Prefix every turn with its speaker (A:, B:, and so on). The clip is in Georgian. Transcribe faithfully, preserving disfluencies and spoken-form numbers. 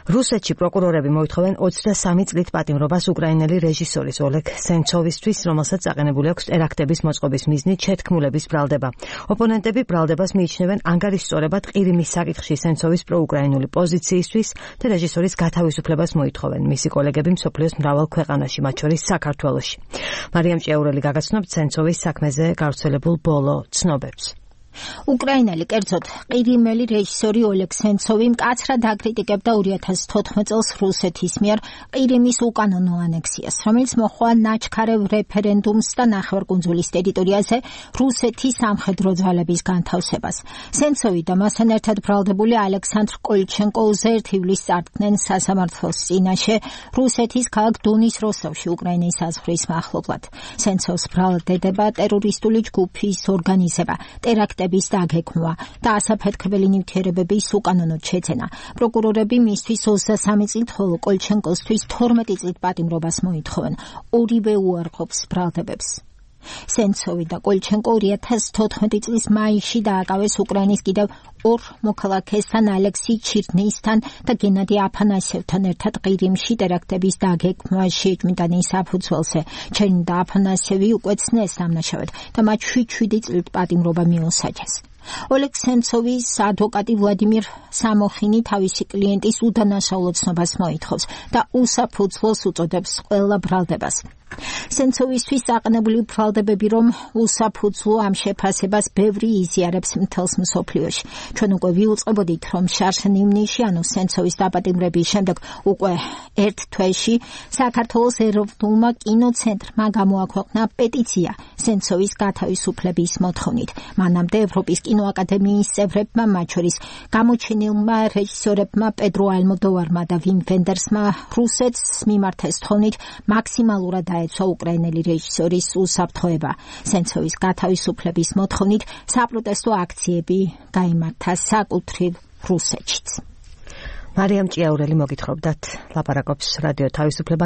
A: რუსეთში პროკურორები მოითხოვენ ოცდასამი წლით პატიმრობას უკრაინელი რეჟისორის ოლეგ სენცოვისთვის, რომელსაც აყენებული აქვს ტერაქტების მოწყობის მიზნით შეთქმულების ბრალდება. ოპონენტები ბრალდებას მიიჩნევენ ანგარიშსწორებად ყირიმის საკითხში სენცოვის პროუკრაინული პოზიციისთვის და რეჟისორის გათავისუფლებას მოითხოვენ. მისი კოლეგები მსოფლიოს მრავალ ქვეყანაში, მათ შორის საქართველოში. მარიამ ჭიაურელი გაგაცნობთ სენცოვის საქმეზე გავრცელებულ ბოლო ცნობებს.
B: უკრაინელი კერძოდ ყირიმელი რეჟისორი ოლეგ სენცოვი მკაცრად აკრიტიკებდა ორი ათას თოთხმეტ წელს რუსეთის მიერ ყირიმის უკანონო ანექსიას, რომელიც მოჰყვა ნაჩქარევ რეფერენდუმს და ნახევარკუნძულის ტერიტორიაზე რუსეთის სამხედრო ძალების განთავსებას. სენცოვი და მასთან ერთად ბრალდებული ალექსანდრ კოლჩენკოზე ერთ ივლისს წარდგნენ სასამართლოს წინაშე რუსეთის ქალაქ დონის როსტოვში უკრაინის საზღვრის მახლობლად. სენცოვს ბრალდება ტერორისტული ჯგუფის ორგანიზება, ტერაქტი დაგექმვა და ასაფეთქებელი ნივთიერებების უკანონოდ შეძენა. პროკურორები მისთვის ოცდასამი წლით, ხოლო კოლჩენკოსთვის თორმეტი წლით პატიმრობას მოითხოვენ. ორივე უარყოფს ბრალდებებს. სენცოვი და კოლჩენკო ორი ათას თოთხმეტი წლის მაისში დააკავეს უკრაინის კიდევ ორ მოქალაქესთან, ალექსი ჩირნეისთან და გენადი აფანასიევთან ერთად ყირიმში ტერაქტების დაგექმვაში ეჭვმიტანის საფუძველზე. ჩერნი და აფანასიევი უკვე ცნეს დამნაშავედ და მათ შვიდ წლით პატიმრობა მიუსაჯეს. ოლეგ სენცოვის ადვოკატი ვლადიმირ სამოხინი თავისი კლიენტის უდანაშაულო ცნობას მოითხოვს და უსაფუძვლოს უწოდებს ყველა ბრალდებას. სენცოვისთვის აყენებული ბრალდებები, რომ უსაფუძვლო ამ შეფასებას ბევრი იზიარებს მთელს მსოფლიოში. ჩვენ უკვე ვიუწყებოდით, რომ შარშ ნიმნიში, ანუ სენცოვის დაპატიმრების შემდეგ უკვე ერთ თვეში საქართველოს ეროვნულმა კინოცენტრმა გამოაქვეყნა პეტიცია სენცოვის გათავისუფლების მოთხოვნით. მანამდე ევროპის კინოაკადემიის წევრებმა, მათ შორის გამოჩენილმა რეჟისორებმა პედრო ალმოდოვარმა და ვიმ ვენდერსმა რუსეთს მიმართეს თხოვნით მაქსიმალურად დაეცვა უკრაინელი რეჟისორის უსაფრთხოება. სენცოვის გათავისუფლების მოთხოვნით საპროტესტო აქციები გაიმართა საკუთრივ რუსეთშიც.
A: მარიამ ჭიაურელი მოგითხრობდათ, ლაპარაკობს რადიო თავისუფლება.